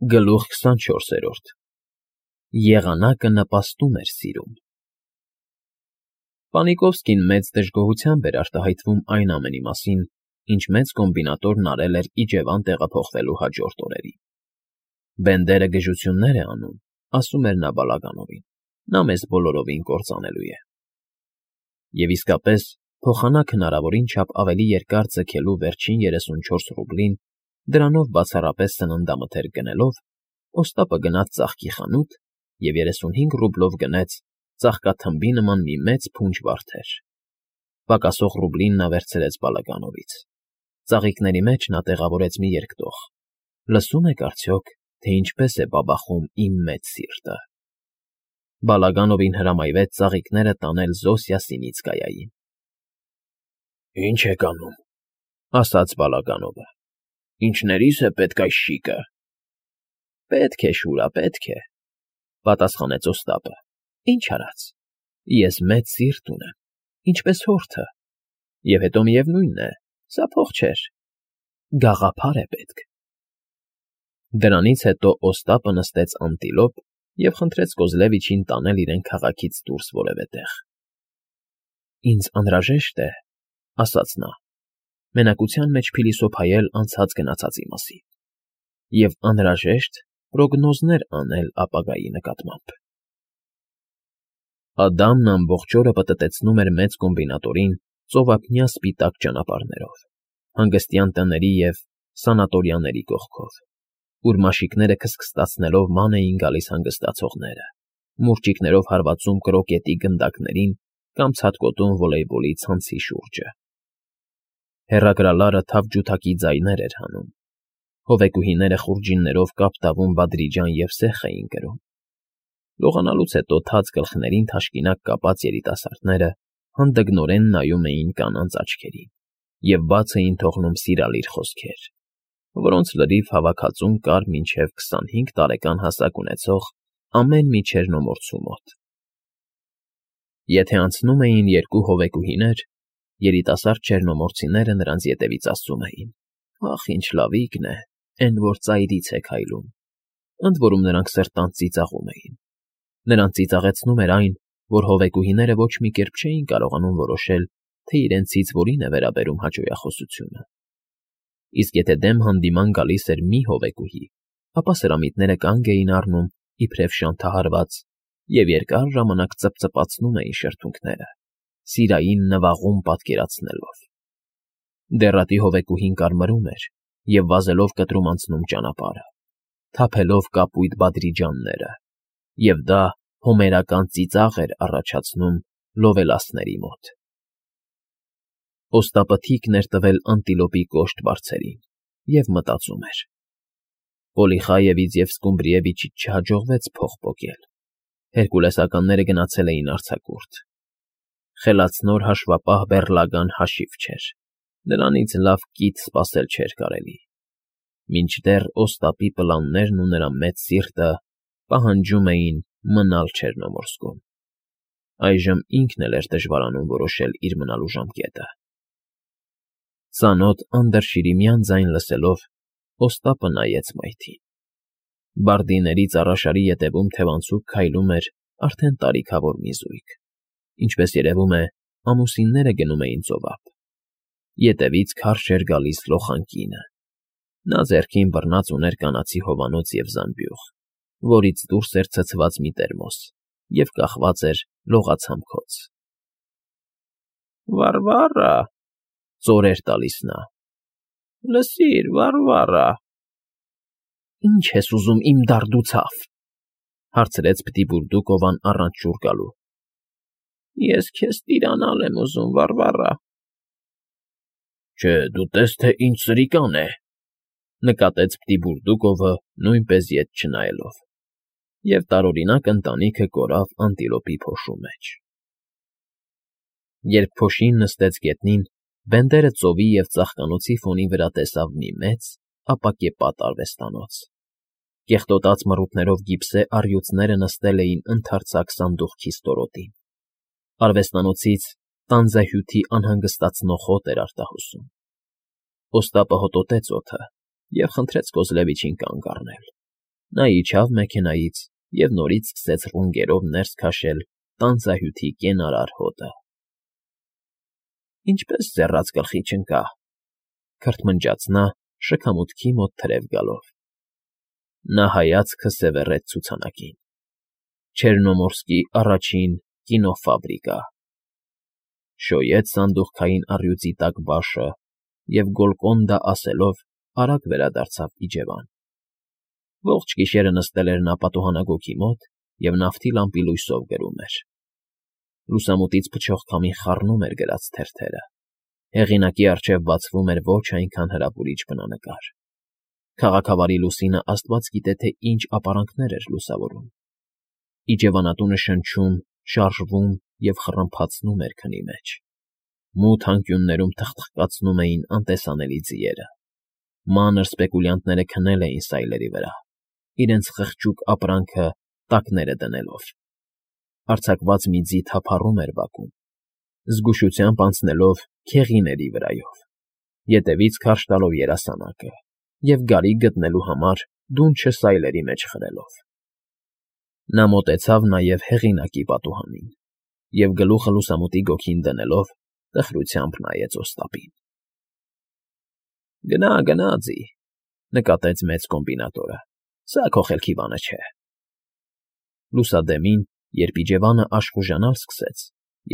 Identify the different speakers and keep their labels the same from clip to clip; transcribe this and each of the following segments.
Speaker 1: Գլուխ 24 Եղանակը նպաստում էր սիրուն։ Պանիկովսկին մեծ դժգոհությամբ էր արտահայտվում այն ամենի մասին, ինչ մեծ կոմբինատորն արել էր Իջևան տեղափոխվելու հաջորդ օրերին։ Բենդերը գժություններ է անում, ասում էր նա Բալագանովին, նա մեզ բոլորովին կործանելու է։ Եվ իսկապես, փոխանակ հնարավորին չափ ավելի երկար ձգելու վերջին 34 ռուբլին, դրանով բացառապես սննդամթերք գնելով, Օստապը գնաց ծաղկի խանութ և 35 ռուբլով գնեց ծաղկաթմբի նման մի մեծ փունջ վարդեր։ Պակասող ռուբլին նա վերցրեց Բալագանովից։ Ծաղիկների մեջ նա տեղավորեց մի երկտող։ Լսում եք արդյոք, թե ինչպես է բաբախում իմ մեծ սիրտը։ Բալագանովին հրամայվեց ծաղիկները տանել Զոսյա Սինիցկայային։ Ինչ եք անում, ասաց Բալագանովը։ Ինչներիս է պետք այս շիկը։ Պետք է, Շուրա, պետք է, պատասխանեց Օստապը։ Ինչ արած։ Ես մեծ սիրտ ունեմ, ինչպես հորթը։ Եվ հետո միևնույնն է, սա փող չէր։ Գաղափար է պետք։ Դրանից հետո Օստապը նստեց անտիլոպ և խնդրեց Կոզլևիչին տանել իրեն քաղաքից դուրս որևէ տեղ։ Ինձ անհրաժեշտ է, ասաց նա, մենակության մեջ փիլիսոփայել անցած գնացածի մասին և անհրաժեշտ պրոգնոզներ անել ապագայի նկատմամբ։ Ադամն ամբողջ օրը պտտեցնում էր մեծ կոմբինատորին ծովափնյա սպիտակ ճանապարհներով, հանգստյան տների և սանատորիաների կողքով, ուր մաշիկները քստքստացնելով ման էին գալիս հանգստացողները, մուրճիկներով հարվածում կրոկետի գնդակներին կամ ցատկոտում վոլեյբոլի ցանցի շուրջը։ Հեռագրալարը թավջութակի ձայներ էր հանում։ Հովեկուհիները խուրջիններով կապ տավում Բադրիջան և սեխ էին կրում։ Լողանալուց հետո թաց գլխներին թաշկինակ կապած երիտասարդները հանդգնորեն նայում էին կանանց աչքերին և բաց էին թողնում սիրալիր խոսքեր, որոնց լրիվ հավաքածուն կար մինչև 25 տարեկան հասակ ունեցող ամեն մի չերնոմորցու մոտ։ Եթե անցնում էին երկու հովեկուհիներ, երիտասարդ չերնոմորցիները նրանց ետևից ասում էին. «Ախ, ինչ լավիկն է, էն որ ծայրից է քայլում», ընդ որում նրանք սրտանց ծիծաղում էին։ Նրանց ծիծաղեցնում էր այն, որ հովեկուհիները ոչ մի կերպ չէին կարողանում որոշել, թե իրենցից որին է վերաբերում հաճոյախոսությունը։ Իսկ եթե դեմ հանդիման գալիս էր մի հովեկուհի, ապա սրամիտները կանգ էին առնում, իբրև շանթահարված, և երկար ժամանակ ծպծպացնում էին շրթունքները, սիրային նվաղում պատկերացնելով։ Դեռատի հովեկուհին կարմրում էր և վազելով կտրում անցնում ճանապարհը, թափելով կապույտ Բադրիջանները, և դա հոմերական ծիծաղ էր առաջացնում լովելասների մոտ։ Օստապը թիկն էր տվել անտիլոպի կոշտ բարձերին և մտածում էր. Պոլիխայևից և Սկումբրիևիչից չհաջողվեց փող պոկել։ Հերկուլեսականները գնացել էին արձակուրդ։ Խելացնոր հաշվապահ բեռլագան հաշիվ չէր, նրանից լավ կիթ սպասել չէր կարելի։ Մինչդեռ Օստապի պլաններն ու նրա մեծ սիրտը պահանջում էին մնալ Չեռնոմորսկում։ Այժմ ինքն էլ էր դժվարանում որոշել իր մնալու ժամկետը։ Ծանոթ անդրշիրիմյան ձայն լսելով, Օստապը նայեց մայթին։ Բարդիների ծառաշարի ետևում թևանցուկ քայլում էր արդեն տարիքավոր մի զույգ, ինչպես երևում է, ամուսինները գնում էին ծովափ։ Ետևից քարշ էր գալիս լոխան կինը։ Նա ձեռքին բռնած ուներ կանացի հովանոց և զամբյուղ, որից դուրս էր ցցված մի տերմոս և կախված էր լողացամքոց։ Վարվառա, ծոր էր տալիս նա։ Լսիր, Վարվառա։ Ինչ ես ուզում, իմ դարդուցավ, հարցրեց Պտիպուրդուկովան առանց ջուր գալու։ Ես քեզ տիրանալ եմ ուզում, Վարվառա։ Չէ, դու տես, թե ինչ սրիկան է, նկատեց Պտիպուրդուկովը նույնպես ետ չնայելով, և տարօրինակ ընտանիքը կորավ անտիլոպի փոշու մեջ։ Երբ փոշին նստեց գետնին, Բենդերը ծովի և ծաղկանոցի ֆոնի վրա տեսավ մի մեծ, ապակեպատ արվեստանոց։ Կեղտոտած մռութներով գիպսե առյուծները նստել էին ընդարձակ սանդուղքի ստորոտին։ Արվեստանոցից տանձահյութի անհանգստացնող հոտ էր արտահոսում։ Օստապը հոտոտեց օդը և խնդրեց Կոզլևիչին կանգ առնել։ Նա իջավ մեքենայից և նորից սկսեց ռունգերով ներս քաշել տանձահյութի կենարար հոտը։ Ինչպես ձեռաց գլխի չընկա, քրթմնջաց նա շքամուտքի մոտ թրև գալով։ Նա հայացքը սևեռեց ցուցանակին. Չեռնոմորսկի առաջին կինոֆաբրիկա։ Շոյեց սանդուղքային առյուծի տակ բաշը և Գոլկոնդա ասելով արագ վերադարձավ իջևան։ Ողջ գիշերը նստել էր նա պատուհանագոգի մոտ և նավթի լամպի լույսով գրում էր։ Լուսամուտից փչող քամին խառնում էր գրած թերթերը։ Հեղինակի առջև բացվում էր ոչ այնքան հրապուրիչ բնանկար։ Քաղաքավարի լուսինը աստված գիտե թե ինչ ապարանքներ էր լուսավորում։ Իջևանատունը շնչում, շարժվում և խռմփացնում էր քնի մեջ։ Մութ անկյուններում թխթխկացնում էին անտեսանելի ձիերը։ Մանր սպեկուլյանտները քնել էին սայլերի վրա, իրենց խղճուկ ապրանքը տակները դնելով։ Արձակված մի ձի թափառում էր բակում, զգուշությամբ անցնելով քեղիների վրայով, ետևից քարշ տալով երասանակը և գարի գտնելու համար դունչը սայլերի մեջ խրելով։ Նա մոտեցավ նաև հեղինակի պատուհանին և գլուխը լուսամուտի գոգին դնելով տխրությամբ նայեց Օստապին։ ֊ Գնա, ձի,֊ նկատեց մեծ կոմբինատորը,֊ սա քո խելքի բանը չէ։ Լուսադեմին, երբ իջևանը աշխուժանալ սկսեց,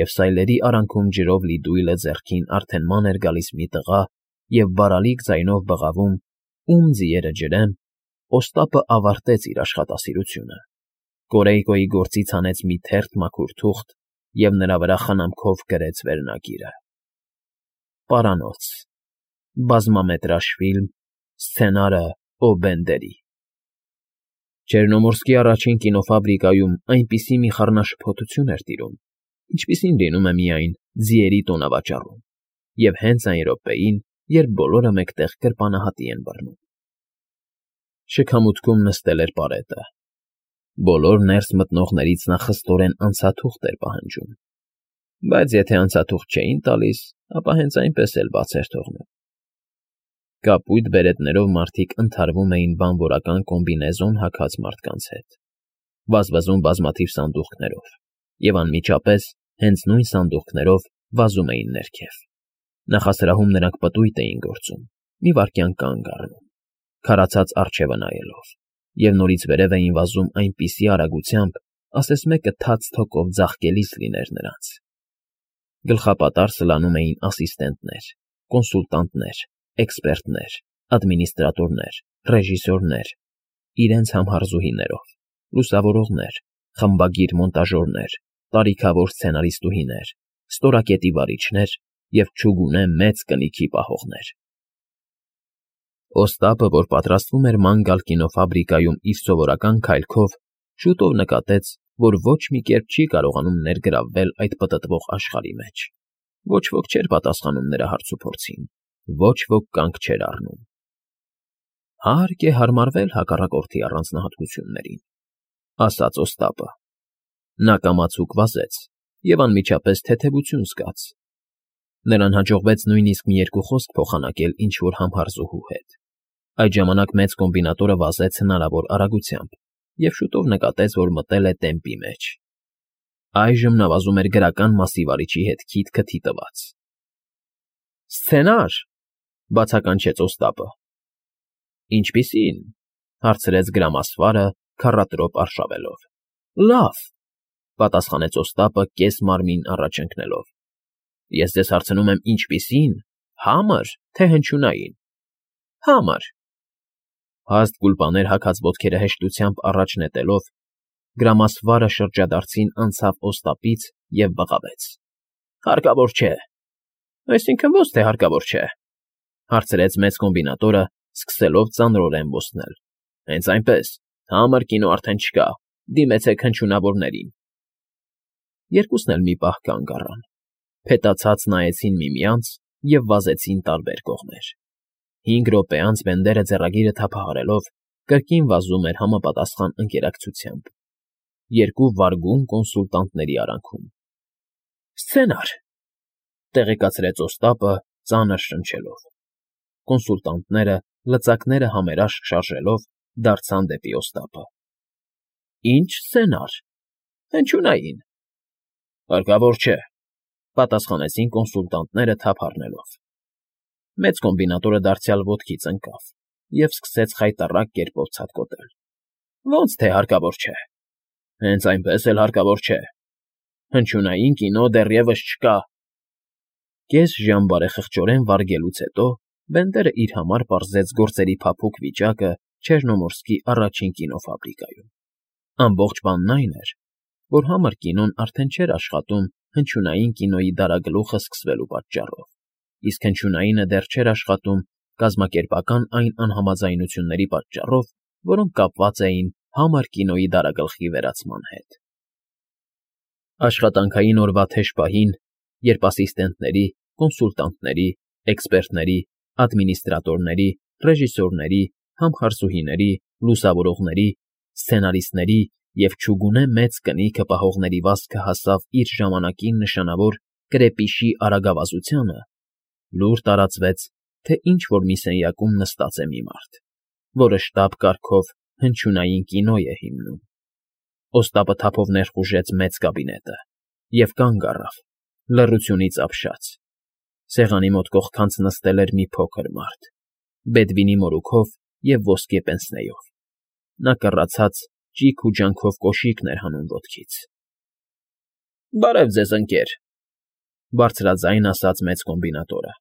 Speaker 1: և սայլերի արանքում ջրով լի դույլը ձեռքին արդեն ման էր գալիս մի տղա և բարալիկ ձայնով բղավում. «Ում ձիերը ջրեմ», Օստապը ավարտեց իր աշխատասիրությունը, Կորեյկոյի գործից հանեց մի թերթ մաքուր թուղթ և նրա վրա խնամքով գրեց վերնագիրը. «Պարանոց. բազմամետրաժ ֆիլմ, սցենարը Օ. Բենդերի»։ Չեռնոմորսկի առաջին կինոֆաբրիկայում այնպիսի մի խառնաշփոթություն էր տիրում, ինչպիսին լինում է միայն ձիերի տոնավաճառում, և հենց այն րոպեին, երբ բոլորը մեկտեղ կրպանահատի են բռնում։ Շքամուտքում նստել էր պարետը։ Բոլոր ներս մտնողներից նա խստորեն անցաթուղթ էր պահանջում, բայց եթե անցաթուղթ չէին տալիս, ապա հենց այնպես էլ բաց էր թողնում։ Կապույտ բերետներով մարդիկ ընդհարվում էին բանվորական կոմբինեզոն հագած մարդկանց հետ, վազվզում բազմաթիվ սանդուղքներով, և անմիջապես հենց նույն սանդուղքներով վազում էին ներքև։ Նախասրահում նրանք պտույտ էին գործում, մի վայրկյան կանգ առնում, քարացած առջևը նայելով, և նորից վերև էին վազում այնպիսի արագությամբ, ասես մեկը թաց թոկով ձաղկելիս լիներ նրանց։ Գլխապատառ սլանում էին ասիստենտներ, կոնսուլտանտներ, էքսպերտներ, ադմինիստրատորներ, ռեժիսորներ, իրենց համհարզուհիներով, լուսավորողներ, խմբագիր մոնտաժորներ, տարիքավոր սցենարիստուհիներ, ստորակետի վարիչներ և չուգունե մեծ կնիքի պահողներ։ Օստապը, որ պատրաստվում էր ման գալ կինոֆաբրիկայում իր սովորական քայլքով, շուտով նկատեց, որ ոչ մի կերպ չի կարողանում ներգրավվել այդ պտտվող աշխարհի մեջ։ Ոչ ոք չէր պատասխանում նրա հարցուփորձին, ոչ ոք կանգ չէր առնում։ «Հարկ է հարմարվել հակառակորդի առանձնահատկություններին», ասաց Օստապը։ Նա կամացուկ վազեց և անմիջապես թեթևություն զգաց։ Նրան հաջողվեց նույնիսկ մի երկու խոսք փոխանակել ինչ֊որ համհարզուհու հետ։ Այդ ժամանակ մեծ կոմբինատորը վազեց հնարավոր արագությամբ և շուտով նկատեց, որ մտել է տեմպի մեջ։ Այժմ նա վազում էր գրական մասի վարիչի հետ քիթ֊քթի տված։ «Սցենա՞ր», բացականչեց Օստապը։ «Ինչպիսի՞ն», հարցրեց գրամասվարը քառատրոպ արշավելով։ «Լավ», պատասխանեց Օստապը կես֊մարմին առաջ ընկնելով։ «Ես ձեզ հարցնում եմ ինչպիսի՞ն, հա՞մր, թե հնչյունային»։ «Համր»։ Հաստ գուլպաներ հագած ոտքերը հեշտությամբ առաջ նետելով, գրամասվարը շրջադարձին անցավ Օստապից և բղավեց. «Հարկավոր չէ»։ «Այսինքն ո՞ց թե հարկավոր չէ», հարցրեց մեծ կոմբինատորը, սկսելով ծանրորեն ոսնել։ «Հենց այնպես, համր կինո արդեն չկա, դիմեցեք հնչյունավորներին»։ Երկուսն էլ մի պահ կանգ առան, փետացած նայեցին միմյանց և վազեցին տարբեր կողմեր։ 5 րոպե անց Բենդերը ձեռագիրը թափահարելով կրկին վազում էր համապատասխան ընկերակցությամբ, երկու վարգուն կոնսուլտանտների արանքում։ «Սցենար», տեղեկացրեց Օստապը ծանր շնչելով։ Կոնսուլտանտները, լծակները համերաշխ շարժելով, դարձան դեպի Օստապը։ Ինչ սցենար, հնչյունային։ Հարկավոր չէ, պատասխանեցին կոնսուլտանտները թափ առնելով։ Մեծ կոմբինատորը դարձյալ ոտքից ընկավ և սկսեց խայտառակ կերպով ցատկոտել։ Ոնց թե հարկավոր չէ։ Հենց այնպես էլ հարկավոր չէ։ Հնչյունային կինո դեռևս չկա։ Կես ժամ բարեխղճորեն վարգելուց հետո Բենդերը իր համար պարզեց գործերի փափուկ վիճակը Չեռնոմորսկի առաջին կինոֆաբրիկայում։ Ամբողջ բանն այն էր, որ համր կինոն արդեն չէր աշխատում հնչյունային կինոյի դարագլուխը սկսվելու պատճառով, իսկ հնչյունայինը դեռ չէր աշխատում կազմակերպական այն անհամաձայնությունների պատճառով, որոնք կապված էին համր կինոյի դարագլխի վերացման հետ։ Աշխատանքային օրվա թեժ պահին, երբ ասիստենտների, կոնսուլտանտների, էքսպերտների, ադմինիստրատորների, ռեժիսորների, համխարսուհիների, լուսավորողների, սցենարիստների և չուգունե մեծ կնիքը պահողների վազքը հասավ իր ժամանակին նշանավոր կրեպիշի արագավազությանը, լուր տարածվեց, թե ինչ֊որ մի սենյակում նստած է մի մարդ, որը շտապ կարգով հնչյունային կինո է հիմնում։ Օստապը թափով ներխուժեց մեծ կաբինետը և կանգ առավ, լռությունից ապշած։ Սեղանի մոտ կողքանց նստել էր մի փոքր մարդ, բեդվինի մորուքով և ոսկե պենսնեով։ Նա կռացած ճիգ ու ջանքով կոշիկն էր հանում ոտքից։ ֊ Բարև ձեզ, ընկեր,֊ բարձրաձայն ասաց մեծ կոմբինատորը։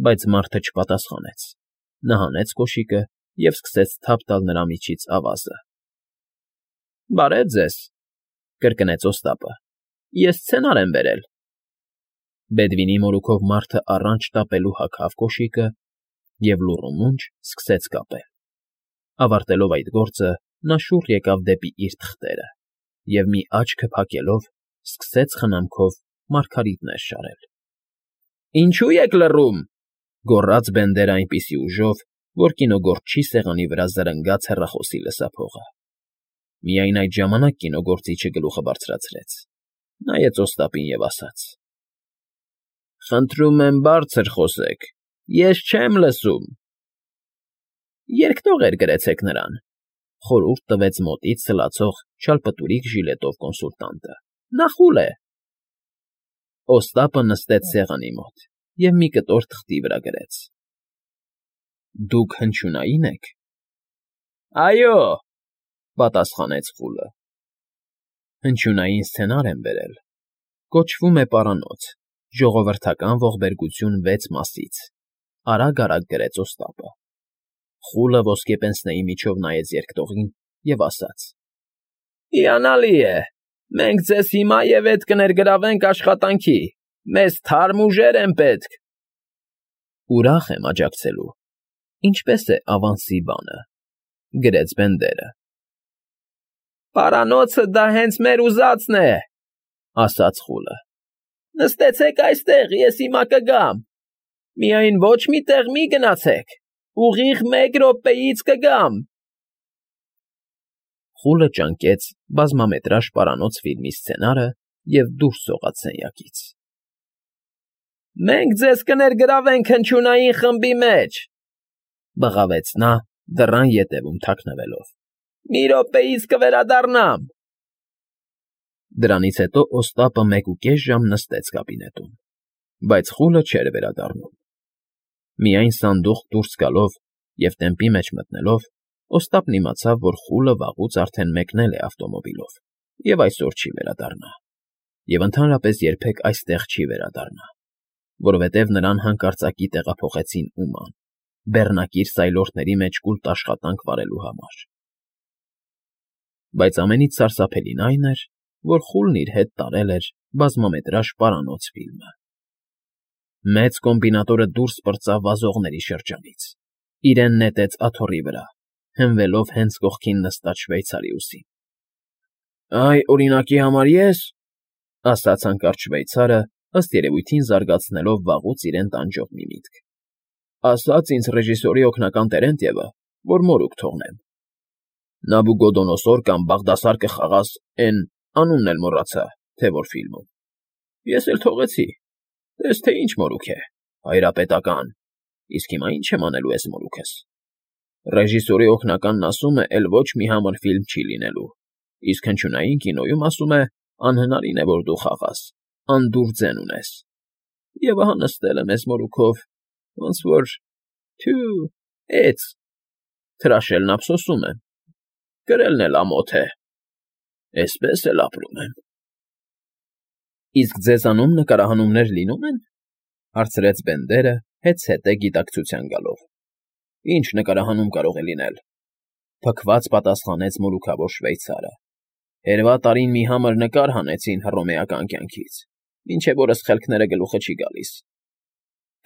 Speaker 1: Բայց մարդը չպատասխանեց։ Նա հանեց կոշիկը և սկսեց թափ տալ նրա միջից ավազը։ ֊ Բարև ձեզ,֊ կրկնեց Օստապը,֊ ես սցենար եմ բերել։ Բեդվինի մորուքով մարդը առանց շտապելու հագավ կոշիկը և լուռումունջ սկսեց կապել։ Ավարտելով այդ գործը, նա շուռ եկավ դեպի իր թղթերը և, մի աչքը փակելով, սկսեց խնամքով մարգարիտներ շարել։ ֊ Ինչո՞ւ եք լռում,֊ գոռաց Բենդերը այնպիսի ուժով, որ կինոգործչի սեղանի վրա զրնգաց հեռախոսի լսափողը։ Միայն այդ ժամանակ կինոգործիչը գլուխը բարձրացրեց, նայեց Օստապին և ասաց. «Խնդրում եմ բարձր խոսեք, ես չեմ լսում»։ Երկտող գրեցեք նրան,֊ խորհուրդ տվեց մոտից սլացող չալպտուրիկ ժիլետով կոնսուլտանտը,֊ նա խուլ է։ Օստապը նստեց սեղանի մոտ և մի կտոր թղթի վրա գրեց. «Դուք հնչյունայի՞ն եք»։ ֊ Այո,֊ պատասխանեց խուլը։ Հնչյունային սցենար եմ բերել։ Կոչվում է «Պարանոց. ժողովրդական ողբերգություն 6 մասից», արագ֊արագ գրեց Օստապը։ Խուլը ոսկե պենսնեի միջով նայեց երկտողին և ասաց. «Հիանալի է, մենք ձեզ հիմա և ետ կներգրավենք աշխատանքի, մեզ թարմ ուժեր են պետք»։ Ուրախ եմ աջակցելու, ինչպես է ավանսի բանը,֊ գրեց Բենդերը։ «Պարանոցը դա հենց մեր ուզածն է,֊ ասաց խուլը։ Նստեցեք այստեղ, ես հիմա կգամ։ Միայն ոչ մի տեղ մի գնացեք, ուղիղ 1 րոպեից կգամ»։ Խուլը ճանկեց բազմամետրաժ «Պարանոց» ֆիլմի սցենարը և դուրս սողաց սենյակից։ «Մենք ձեզ կներգրավենք հնչյունային խմբի մեջ,֊ բղավեց նա, դռան ետևում թաքնվելով,֊ մի րոպեից կվերադառնամ»։ Դրանից հետո Օստապը 1.5 ժամ նստեց կաբինետում, բայց խուլը չէր վերադառնում։ Միայն սանդուղք դուրս գալով և տեմպի մեջ մտնելով, Օստապն իմացավ, որ խուլը վաղուց արդեն մեկնել է ավտոմոբիլով և այսօր չի վերադառնա, և ընդհանրապես երբեք այստեղ չի վերադառնա, որովհետև նրան հանկարծակի տեղափոխեցին Ուման, բեռնակիր սայլորդների մեջ կուլտ աշխատանք վարելու համար։ Բայց ամենից սարսափելին այն էր, որ խուլն իր հետ տարել էր բազմամետրաժ «Պարանոց» ֆիլմը։ Մեծ կոմբինատորը դուրս պրծավ վազողների շրջանից, իրեն նետեց աթոռի վրա, հենվելով հենց կողքին նստած շվեյցարիուսին։ ֊ Այ, օրինակի համար ես,֊ ասաց հանկարծ շվեյցարը, ըստ երևույթին զարգացնելով վաղուց իրեն տանջող մի միտք,֊ ասաց ինձ ռեժիսորի օգնական Տերենտևը, որ մորուք թողնեմ։ Նաբուգոդոնոսոր կամ Բաղդասար կխաղաս էն, անունն էլ մոռացա, թե որ ֆիլմում։ Ես էլ թողեցի, տես թե ինչ մորուք է, հայրապետական, իսկ հիմա ի՞նչ եմ անելու էս մորուքս։ Ռեժիսորի օգնականն ասում է, էլ ոչ մի համր ֆիլմ չի լինելու, իսկ հնչյունային կինոյում ասում է, անհնարին է, որ դու խաղաս, անդուր ձեն ունես։ Եվ ահա նստել եմ էս մորուքով, ոնց որ… Թյու, էց… Թրաշելն ափսոսում եմ, կրելն էլ ամոթ է, էսպես էլ ապրում եմ։ ֊ Իսկ ձեզանում նկարահանումներ լինում են,֊ հարցրեց Բենդերը, հետզհետե գիտակցության գալով։ ֊ Ինչ նկարահանում կարող է լինել,֊ փքված պատասխանեց մորուքավոր շվեյցարը։ Հերվա տարին մի համր նկար հանեցին հռոմեական կյանքից, մինչև օրս խելքները գլուխը չի գալիս…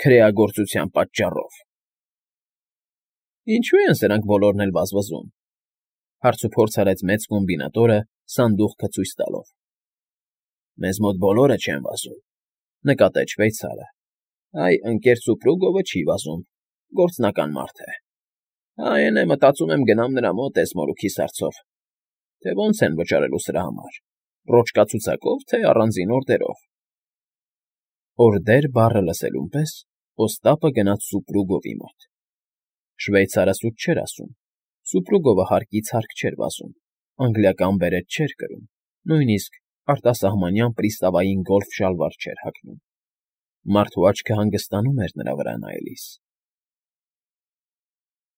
Speaker 1: Քրեագործության պատճառով։ ֊ Ինչո՞ւ են սրանք բոլորն էլ վազվզում,֊ հարցուփորձ արեց մեծ կոմբինատորը սանդուղքը ցույց տալով։ ֊ Մեզ մոտ բոլորը չեն վազում,֊ նկատեց շվեյցարը։ Այ ընկեր Սուպրուգովը չի վազում, գործնական մարդ է։ Այն է, մտածում եմ գնամ նրա մոտ էս մորուքի սարցով, թե ոնց են վճարելու սրա համար, ռոճկա֊ցուցակով, թե առանձին օրդերով։ Օրդեր բառը լսելուն պես Օստապը գնաց Սուպրուգովի մոտ։ Շվեյցարը սուտ չէր ասում, Սուպրուգովը հարկից հարկ չէր վազում, անգլիական բերետ չէր կրում, նույնիսկ արտասահմանյան պրիստավային գոլֆ շալվար չէր հագնում։ Մարդու աչքը հանգստանում էր նրա վրա նայելիս։